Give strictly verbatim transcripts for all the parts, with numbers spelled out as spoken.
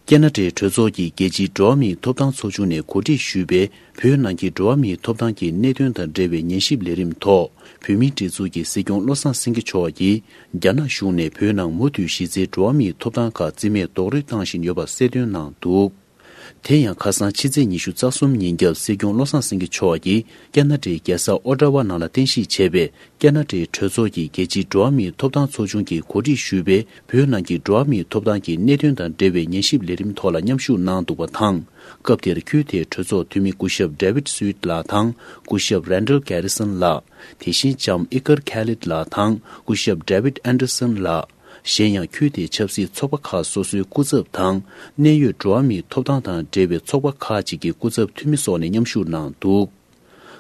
ཀེ་ན་ཌའི་གྲོས་ཚོགས་ཀྱི་རྒྱལ་སྤྱིའི་འགྲོ་བ་མིའི་ཐོབ་ཐང་ཚོགས་ཆུང་ནས་གོ་སྒྲིག་ཞུས་པའི་བོད་ནང་གི་འགྲོ་བ་མིའི་ཐོབ་ཐང་གི་གནད་དོན་དང་འབྲེལ་བའི་ཉན་ཞིབ་ལས་རིམ་ཐོག་བོད་མིའི་སྒྲིག་འཛུགས་ཀྱི་སྲིད་སྐྱོང་བློ་བཟང་སེང་གེ་མཆོག་གིས། རྒྱ་ནག་གཞུང་ནས་བོད་ནང་མུ་མཐུད་གཞི་རྩའི་འགྲོ་བ་མིའི་ཐོབ་ཐང་ཁག་རྩིས་མེད་རྡོག་རོལ་བཏང་བཞིན་ཡོད་པ་གསལ་སྟོན་གནང་འདུག་དེ་ཡང་ཁ་སང་ཕྱི་ཚེས་ཉི་ཤུ་རྩ་གསུམ་ཉིན་རྒྱབ་སྲིད་སྐྱོང་བློ་བཟང་སེང་གེ་མཆོག་གིས་ཀེ་ན་ཌའི་རྒྱལ་ས་ཨོ་ཊ་ཝ་ནང་ལ་རྟེན་གཞི་བྱས་པའི་ཀེ་ན་ཌའི་གྲོས་ཚོགས་ཀྱི་རྒྱལ་སྤྱིའི་འགྲོ་བ་མིའི་ཐོབ་ཐང་ཚོགས་ཆུང་གིས་གོ་སྒྲིག་ཞུས་པའི་བོད་ནང་གི་འགྲོ་བ་མིའི་ཐོབ་ཐང་གི་གནད་དོན་དང་འབྲེལ་བའི་ཉན་ཞིབ་ལས་རིམ་ཐོག་ལ་མཉམ་ཞུགས་གནང་འདུག་པ་དང་། སྐབས་དེར་ཁུལ་དེའི་གྲོས་ཚོགས་འཐུས་མི་སྐུ་ཞབས་David Sweet ལགས་དང་སྐུ་ཞབས་Randall Garrison ལགས། དེ་བཞིན་ལྕམ་ཨི་ཀར་ཁེ་ལིད་ལགས་དང་སྐུ་ཞབས་David Anderson ལགས། གཞན་ཡང་ཁུལ་དེའི་ཆབ་སྲིད་ཚོགས་པ་ཁག་སོ་སོའི་སྐུ་ཚབ་དང་གནད་ཡོད་འགྲོ་བ་མིའི་ཐོབ་ཐང་དང་འབྲེལ་བའི་ཚོགས་པ་ཁག་ཅིག་གི་སྐུ་ཚབ་འཐུས་མི་སོགས་ནས་མཉམ་ཞུགས་གནང་འདུག་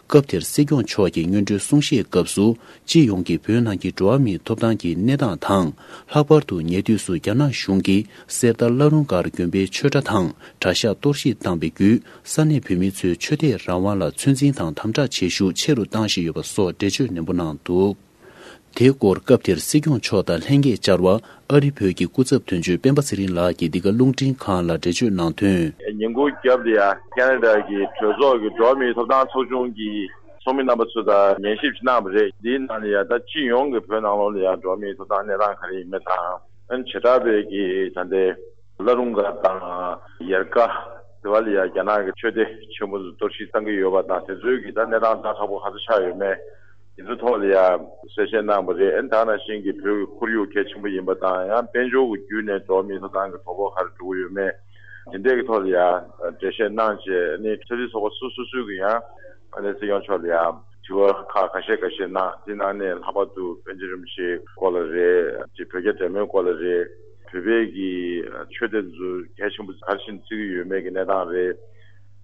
སྐབས་དེར་སྲིད་སྐྱོང་མཆོག་གིས་སྔོན་འགྲོའི་གསུང་བཤད་སྐབས་སུ། སྤྱི་ཡོངས་ཀྱི་བོད་ནང་གི་འགྲོ་བ་མིའི་ཐོབ་ཐང་གི་གནས་སྟངས་དང་། ལྷག་པར་དུ་ཉེ་དུས་སུ་རྒྱ་ནག་གཞུང་གིས་གསེར་རྟ་བླ་རུང་སྒར་དགོན་པའི་ཆོས་གྲྭ་དང་གྲྭ་ཤག་གཏོར་བཤིག་བཏང་བའི་བརྒྱུད། ས་གནས་བོད་མི་ཚོའི་ཆོས་དད་རང་དབང་ལ་ཚོད་འཛིན་དང་དམ་དྲག་བྱེད་ཤུགས་ཆེ་རུ་བཏང་བཞིན་ཡོད་པ་སོགས་འགྲེལ་བརྗོད་ནན་པོ་གནང་འདུག་དེའི་སྐོར་སྐབས་དེར་སྲིད་སྐྱོང་མཆོག་དང་ལྷན་རྒྱས་བཅར་བ་ཨ་རི་བོད་ཀྱི་སྐུ་ཚབ་དོན་གཅོད་སྤེན་པ་ཚེ་རིང་ལགས་ཀྱིས་འདི་ག་རླུང་འཕྲིན་ཁང་ལ་འགྲེལ་བརྗོད་གནང་དོན། ཉིན་གུང་རྒྱབ་ལ་ཡ་ཁེ་ན་ཌ་གི་གྲོས་ཚོགས་ཀྱི་འགྲོ་བ་མིའི་ཐོབ་ཐང་ཚོགས་ཆུང་གི་ཚོགས་མི་རྣམ་པ་ཚོ་དང་ཉན་ཞིབ་གནང་བ་རེད། འདིའི་ནང་ལ་ཡ་ད་སྤྱི་ཡོངས་ཀྱི་བོད་ནང་ལོགས་ལ་ཡ་འགྲོ་བ་མིའི་ཐོབ་ཐང་གནས་སྟངས་ག་རེ་ཡིན་མིན་དང་། ཨ་ནི་བྱེ་བྲག་པའི་གི་ད་ལྟའི་བླ་རུང་སྒར་དང་ཡལ་ག་དེ་བ་ལ་ཡ་རྒྱ་ནག་གི་ཆོས་སྡེ་ཆེན་པོ་ཚོ་གཏོར་བཤིག་བཏང་གི་ཡོད་པ་དང་། དེ་ཚོའི་གི་ད་གནས་སྟངས་ཛ་དྲག་པོ་ག་ཚོད་ཆགས་ཡོད་མེད། དེ་ཚོའི་ཐོག་ལ་ཡ་གསལ་བཤད་གནང་བ་རེད། ཨ་ནི་ད་ནང་བཞིན་གྱི་བོད་ཀྱི་ཁོར་ཡུག་གལ་ཆེན་པོ་ཡིན་པ་དང་། ཡང་དཔལ་འབྱོར་གྱི་བརྒྱུད་ནས་འགྲོ་བ་མིའི་ཐོབ་ཐང་གི་དོ་ཕོག་ག་རེ་འགྲོ་གི་ཡོད་མེད། དེ་འདྲའི་གི་ཐོག་ལ་ཡ་འགྲེལ་བཤད་གནང་བྱས། ཨ་ནི་ཆབ་སྲིད་ཚོགས་པ་སོ་སོ་སོ་སོའི་གི་ཡང་ཨ་ནི་སྲིད་སྐྱོང་མཆོག་ལ་ཡ་དྲི་བ་ཁག་ཁ་ཤས་ཁ་ཤས་གནང་། དེ་ནང་ནས་ལྷག་པར་དུ་པཎ་ཆེན་རིན་པོ་ཆེའི་སྐོར་ལ་རེད། ཅིག་བོད་རྒྱ་འབྲེལ་མོལ་སྐོར་ལ་རེད། བོད་པའི་གི་ཆོས་དེ་ཚོ་གལ་ཆེན་པོ་ག་རེ་བྱས་ནས་བརྩི་གི་ཡོད་མེད་ཀྱི་གནས་སྟངས་རེད།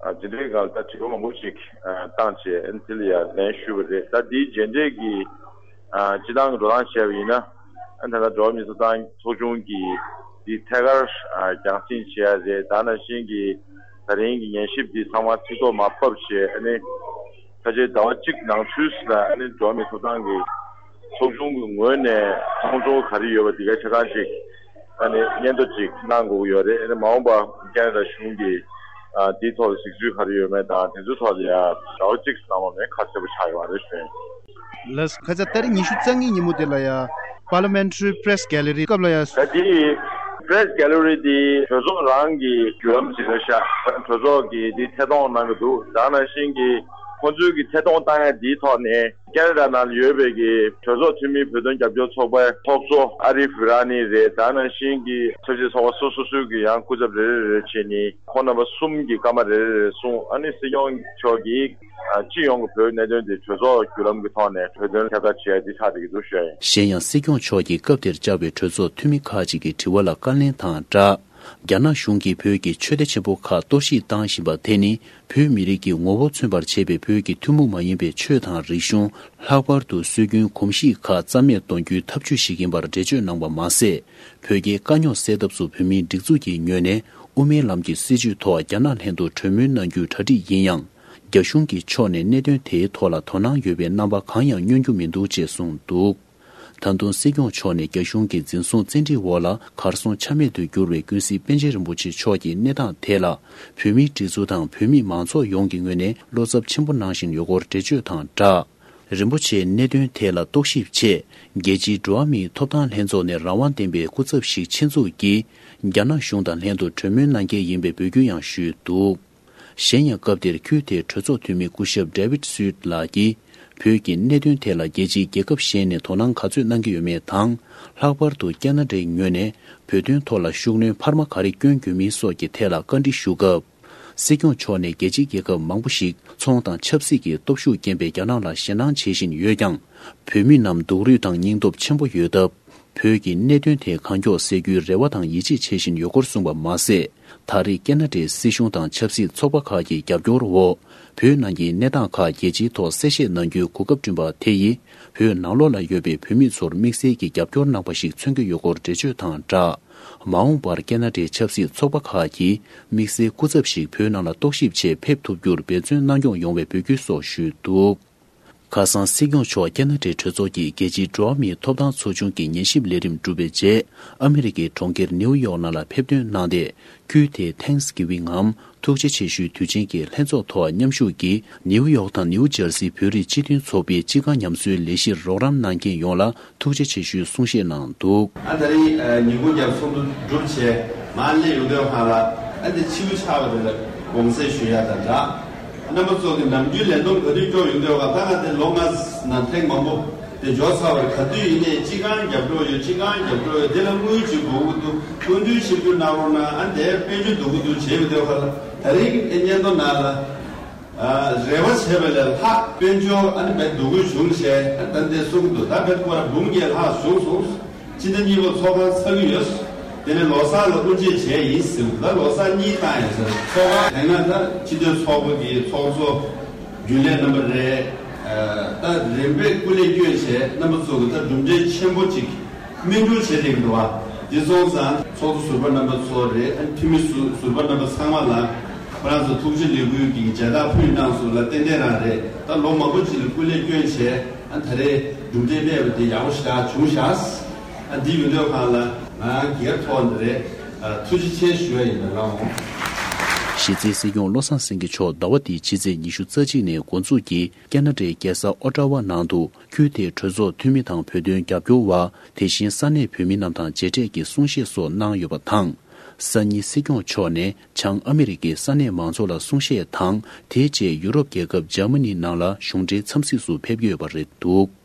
ཨ་དེ་འདྲའི་སྒང་ལ་ད་དྲི་བ་མང་པོ་ཞིག་ཨ་བཏང་བྱས། ཨ་ནི་དེ་ལ་ཡང་ལན་ཞུས་པ་རེད། ད་འདིའི་རྗེས་འབྲེལ་གྱི་ཨ་སྤྱི་བཏང་གི་འགྲོ་སྟངས་བྱས་པ་ཡིན་ན། ཨ་ད་ལྟ་འགྲོ་བ་མིའི་ཐོབ་ཐང་ཚོགས་ཆུང་གིས་འདི་ཐད་ཀར་ཨ་རྒྱང་སྲིང་བྱེད་ཡ་རེད། ད་ནང་བཞིན་གྱི་ད་རིང་གི་ཉན་ཞིབ་འདི་ཚང་མ་ཚིག་ཐོ་མར་ཕབ་བྱས། ཨ་ནི་ཕལ་ཆེར་ཟླ་བ་གཅིག་ནང་ཚུད་ཟིན་ན། ཨ་ནི་འགྲོ་བ་མིའི་ཐོབ་ཐང་གི་ཚོགས་ཆུང་གི་ངོས་ནས་ཁོང་ཚོ་ག་རེ་ཡོད་པ་འདི་ག་ཆ་ཚང་ཅིག་ཨ་ནི་སྙན་ཐོ་ཅིག་གནང་དགོས་ཀྱི་ཡོད་རེད། ཨ་ནི་མ་འོངས་པ་ཁེ་ན་ཌ་གཞུང་གིས་ཨ་འདིའི་ཐོག་ལ་གཟིགས་ཚུལ་ག་རེ་ཡོད་མེད་དང་། དེ་ཚོའི་ཐོག་ལ་ཡ་ཟླ་བ་གཅིག་ནང་ལོགས་ནས་ཁ་གསལ་པོ་ཆགས་ཡོང་བ་རེད་ཞུ་ཡིན། ལགས་སོ། ཁ་སང་ཏ་རིག་ཉི་ཤུ་རྩ་གཉིས་ཉིན་མོ་དེ་ལ་ཡ་Parliamentary Press Gallery སྐབས་ལ་ཡ། ད་དེ་Press Gallery དེ་གྲོས་ཚོགས་རང་གི་བརྒྱུད་ལམ་ཞིག་རེད་ཤག་གྲོས་ཚོགས་ཀྱིས་དེ་ཐད་གཏོང་གནང་གི་འདུག་ད་ནང་བཞིན་གྱི་ཁོང་ཚོས་ཀྱི་ཐད་གཏོང་བཏང་ཡ་དེའི་ཐོག་ནས་ཁེ་ན་ཌ་ནང་ལ་ཡོད་པའི་གི་གྲོས་ཚོགས་འཐུས་མི་བོད་དོན་རྒྱབ་སྐྱོར་ཚོགས་པའི་ཚོགས་གཙོ་ཨ་རི་ཧྥི་ར་ནི་རེད། ད་ནང་བཞིན་གྱི་ཆབ་སྲིད་ཚོགས་པ་སོ་སོ་སོའི་གི་ཡང་སྐུ་ཚབ་རེ་རེ་རེ་བྱས་ནས་ཁོང་རྣམ་པ་གསུམ་གྱི་སྐར་མ་རེ་རེ་རེ་གསུངས། ཨ་ནི་སྲིད་སྐྱོང་མཆོག་གིས་ཨ་སྤྱི་ཡོངས་ཀྱི་བོད་གནད་དོན་དེ་གྲོས་ཚོགས་བརྒྱུད་ལམ་གྱི་ཐོག་ནས་གྲོས་དོན་ཁྱབ་བསྒྲགས་བྱེད་ཡ་དེ་ཆགས་བསྡད་ཀྱི་འདུག་ཞུ་ཡ་ཡིན། གཞན་ཡང་སྲིད་སྐྱོང་མཆོག་གིས་སྐབས་དེར་བཅར་བའི་གྲོས་ཚོགས་འཐུས་མི་ཁག་ཅིག་གི་དྲི་བ་ལ་བཀའ་ལན་དང་སྦྲགས། རྒྱ་ནག་གཞུང་གིས་བོད་ཀྱི་ཆོས་སྡེ་ཆེན་པོ་ཁག་གཏོར་བཤིག་བཏང་བཞིན་པ་དེ་ནི་བོད་མི་རིགས་ཀྱི་ངོ་བོ་མཚོན་པར་བྱེད་པའི་བོད་ཀྱི་ཐུན་མོང་མ་ཡིན་པའི་ཆོས་དང་རིག་གཞུང་། ལྷག་པར་དུ་སྲོལ་རྒྱུན་གོམས་གཤིས་ཁག་རྩ་མེད་གཏོང་རྒྱུའི་ཐབས་ཇུས་ཤིག་ཡིན་པར་འགྲེལ་བརྗོད་གནང་བ་མ་ཟད། བོད་རྒྱའི་དཀའ་རྙོག་སེལ་ཐབས་སུ་བོད་མིའི་སྒྲིག་འཛུགས་ཀྱི་ངོས་ནས་དབུ་མའི་ལམ་གྱི་སྲིད་བྱུས་ཐོག་རྒྱ་ནག་ལྷན་དུ་གྲོས་མོལ་གནང་རྒྱུའི་གྲ་སྒྲིག་ཡིན་ཡང་། རྒྱ་གཞུང་གི་ཕྱོགས་ནས་གནད་དོན་དེའི་ཐོག་ལ་དོ་སྣང་ཡོད་པའི་རྣམ་པ་གང་ཡང་སྙོན་རྒྱུ་མི་འདུག་ཅེས་གསུངས་འདུག་ད་དུང་སྲིད་སྐྱོང་མཆོག་ནས་རྒྱ་གཞུང་གི་འཛིན་བཟུང་བཙན་ཁྲིད་འོག་ལ་གར་སོང་ཆ་མེད་དུ་གྱུར་བའི་ཀུན་གཟིགས་པཎ་ཆེན་རིན་པོ་ཆེ་མཆོག་གི་གནས་སྟངས་ཐད་ལ། བོད་མིའི་སྒྲིག་འཛུགས་དང་བོད་མི་མང་ཚོགས་ཡོངས་ཀྱི་ངོས་ནས་བློ་འཚབ་ཆེན་པོ་གནང་བཞིན་ཡོད་སྐོར་འགྲེལ་བརྗོད་དང་སྦྲགས། རིན་པོ་ཆེའི་གནད་དོན་ཐད་ལ་རྟོག་ཞིབ་ཆེད། རྒྱལ་སྤྱིའི་འགྲོ་བ་མིའི་ཐོབ་ཐང་ལྷན་ཚོགས་ནས་རང་དབང་ལྡན་པའི་སྐུ་ཚབ་ཞིག་ཆེད་འཛུགས་ཀྱིས། རྒྱ་ནག་གཞུང་དང་ལྷན་དུ་གྲོས་མོལ་གནང་གལ་ཡིན་པའི་འབོད་སྐུལ་ཡང་ཞུས་འདུག་གཞན་ཡང་སྐབས་དེར་ཁུལ་དེའི་གྲོས་ཚོགས་འཐུས་མི་སྐུ་ཞབས་David Sweet ལགས་ཀྱིས། བོད་ཀྱི་གནད་དོན་ཐད་ལ་རྒྱལ་སྤྱིའི་རྒྱལ་ཁབ་གཞན་ནས་དོ་སྣང་ག་ཚོད་གནང་གི་ཡོད་མེད་དང་། ལྷག་པར་དུ་ཁེ་ན་ཌའི་ངོས་ནས་བོད་དོན་ཐོག་ལ་ཤུགས་སྣོན་འཕར་མ་ག་རེ་བསྐྱོན་དགོས་མིན་སོགས་ཀྱི་ཐད་ལ་བཀའ་འདྲི་ཞུ་སྐབས། སྲིད་སྐྱོང་མཆོག་ནས་རྒྱལ་སྤྱིའི་རྒྱལ་ཁབ་མང་པོ་ཞིག་ཚོང་དང་ཆབ་སྲིད་ཀྱི་སྟོབས་ཤུགས་རྐྱེན་པས་རྒྱ་ནག་ལ་ཞེད་སྣང་བྱེད་བཞིན་ཡོད་ཀྱང་། བོད་མི་རྣམས་སྡུག་རུས་དང་སྙིང་སྟོབས་ཆེན་པོ་ཡོད་སྟབས། བོད་ཀྱི་གནད་དོན་དེ་གང་མགྱོགས་སེལ་རྒྱུའི་རེ་བ་དང་ཡིད་ཆེས་བྱེད་བཞིན་ཡོད་སྐོར་གསུངས་པ་མ་ཟད། ད་རེས་ཁེ་ན་ཌའི་སྲིད་གཞུང་དང་ཆབ་སྲིད་ཚོགས་པ་ཁག་གི་རྒྱབ་སྐྱོར་འོག་བོད་ནང་གི་གནས་སྟངས་ཁག་རྒྱལ་སྤྱིའི་ཐོག་གསལ་བཤད་གནང་རྒྱུའི་གོ་སྐབས་བསྐྲུན་པ་དེ་ཡིས། བོད་ནང་ལོགས་ལ་ཡོད་པའི་བོད་མི་ཚོར་དམིགས་བསལ་གྱི་རྒྱབ་སྐྱོར་གནང་བ་ཞིག་མཚོན་གྱི་ཡོད་སྐོར་འགྲེལ་བརྗོད་དང་སྦྲགས། མ་འོངས་པར་ཁེ་ན་ཌའི་ཆབ་སྲིད་ཚོགས་པ་ཁག་གིས་དམིགས་བསལ་སྐུ་ཚབ་ཞིག་བོད་ནང་ལ་རྟོག་ཞིབ་ཆེད་ཕེབས་ཐུབ་རྒྱུར་འབད་བརྩོན་གནང་སྐྱོང་ཡོང་བའི་འབོད་སྐུལ་སོགས་ཞུས་འདུག་ཁ་སང་སྲིད་སྐྱོང་མཆོག་ཁ་ན་ཌའི་གྲོས་ཚོགས་ཀྱི་རྒྱལ་སྤྱིའི་འགྲོ་བ་མིའི་ཐོབ་ཐང་ཚོགས་ཆུང་གི་ཉན་ཞིབ་ལས་རིམ་གྲུབ་པའི་རྗེས། ཨ་མི་རི་ཀའི་གྲོང་ཁྱེར་ནེའུ་ཡོག་ནང་ལ་ཕེབས་ཐོན་གནང་སྟེ། ཁུལ་དེའི་ཐེངས་གི་ཝིང་ངམ་ཐུགས་རྗེ་ཆེ་ཞུའི་དུས་ཆེན་གྱི་ལྷན་ཚོགས་ཐོག་མཉམ་ཞུགས་ཀྱིས་ནེའུ་ཡོག་དང་ནེའུ་ཇར་སི་བོད་རིགས་སྤྱི་མཐུན་ཚོགས་པའི་སྤྱི་ཁང་ཉམས་གསོའི་ལས་གཞིར་རོགས་རམ་གནང་མཁན་ཡོངས་ལ་ཐུགས་རྗེ་ཆེ་ཞུའི་གསུང་བཤད་གནང་འདུག། ཨ་ད་རིང་ཉིན་གུང་རྒྱབ་ཚོགས་འདུ་གྲུབ་བྱས་མར་སླེབས་ཡོང་དུས་སྒང་ལ། ཨ་འདི་ཕྱི་པོ་ཆགས་པ་དེ་ལ་དགོངས་སེལ་ཞུ་ཡ་དང་སྦྲགས། རྣམ་པ་ཚོ་གི་ནམ་རྒྱུན་ལས་བསྡོམས་ག་དུས་སྐྱོར་ཡོང་དུས་སྒང་ད་ང་དེ་ལོ་ལྔ་ནང་ཐེངས་མང་པོ་དེ་འབྱོར་ཚར་བ་རེད། ག་དུས་ཡིན་ནའི་སྤྱི་ཁང་རྒྱབ་འགྲོ་ཡོད། སྤྱི་ཁང་རྒྱབ་འགྲོ་ཡོད། དེ་ལ་དངུལ་ཅིག་དགོས་ཀྱི་འདུག། སྐུ་མདུན་ཆིབས་བསྒྱུར་གནང་རོགས་གནང་། ཨ་འདས་དཔལ་འབྱོར་སྡུག་གི་འདུག་བྱས་ཡོང་དུས་སྒང་ལ། ད་རིང་ཨེ་སྙན་ཐོ་ནང་ལ། ཨ་རེ་བ་བྱས་པ་ལས་ལྷག་དཔལ་འབྱོར་ཨ་ནི་བས་སྡུག་གུ་བྱུང་བྱས། ཨ་ད་འདི་གསུང་གི་འདུག། ད་བས་སྐོར་འབུམ་བརྒྱད་ལྷག་བྱུང་སོང་། སྤྱི་ཟླ་གཉིས་པ་ཚོགས་ཁང་ཚར་གི་ཡོད། དེ་ནས་ལོ་གསར་ལ་དབུ་འབྱེད་བྱས་ཡིན་ཟེར། ད་ལོ་གསར་གཉིས་བཏང་ཡིན་ཟེར། ཚོགས་ཁང་དེ་ན་ད་སྤྱི་མཐུན་ཚོགས་པ་གི་ཚོགས་གཙོ་རྒྱུན་ལས་རྣམ་པ་རེད། ཨ་ད་རིམ་པས་སྐུ་ལས་བསྐྱོན་བྱས། རྣམ་པ་ཚོ་གི་ད་གྲུབ་འབྲས་ཆེན་པོ་ཅིག་སྨིན་གྲུབ་བྱེད་བསྡད་ཀྱི་འདུག་བ། དེ་སོང་ཙང་ཚོགས་གཙོ་ཟུར་པ་རྣམ་པ་ཚོ་རེད། ཨ་འཐུས་མི་ཟུ་ཟུར་པ་རྣམ་པ་ཚང་མ་ལ་ཁོ་རང་ཚོ་ཐུགས་རྗེ་ལེགས་འབུལ་གྱི་མཇལ་དར་ཕུལ་གནང་སོང་ལ། ཏན་ཏན་རང་རེད། ད་ལོ་མང་པོ་ཅིག་ལ་སྐུ་ལས་བསྐྱོན་བྱས། ཨ་ད་རེས་གྲུབ་འབྲས་སྨྲས་པ་དེ་ཡག་པོ་ཞེ་དྲག་བྱུང་ཤག། ཨ་འདི་ཡོང་དུས་སྒང་ལ་ང་སྒེར་ཐོག་ནས་རེད། ཨ་ཐུགས་རྗེ་ཆེ་ཞུ་ཡ་ཡིན། ད་རང་། གཞི་རྩའི་སྲིད་སྐྱོང་བློ་བཟང་སེང་གེ་མཆོག་ཟླ་བ་འདིའི་ཕྱི་ཚེས་ཉི་ཤུ་རྩ་གཅིག་ནས་འགོ་འཛུགས་ཀྱིས་ཁ་ན་ཌའི་རྒྱལ་ས་ཨོ་ཊ་ཝ་ནང་དུ་ཁུལ་དེའི་གྲོས་ཚོགས་འཐུས་མི་དང་བོད་དོན་རྒྱབ་སྐྱོར་བ། དེ་བཞིན་ས་གནས་བོད་མི་རྣམས་དང་མཇལ་འཕྲད་ཀྱིས་གསུང་བཤད་སོགས་གནང་ཡོད་པ་དང་། སང་ཉིན་སྲིད་སྐྱོང་མཆོག་ནས་བྱང་ཨ་མི་རི་ཀའི་ས་གནས་མང་ཚོགས་ལ་གསུང་བཤད་དང་། དེའི་རྗེས་ཡུ་རོབ་རྒྱལ་ཁབ་འཇར་མ་ནི་ནང་ལ་གཞུང་འབྲེལ་འཚམས་གཟིགས་སུ་ཕེབས་ཀྱི་ཡོད་པ་རེད་འདུག།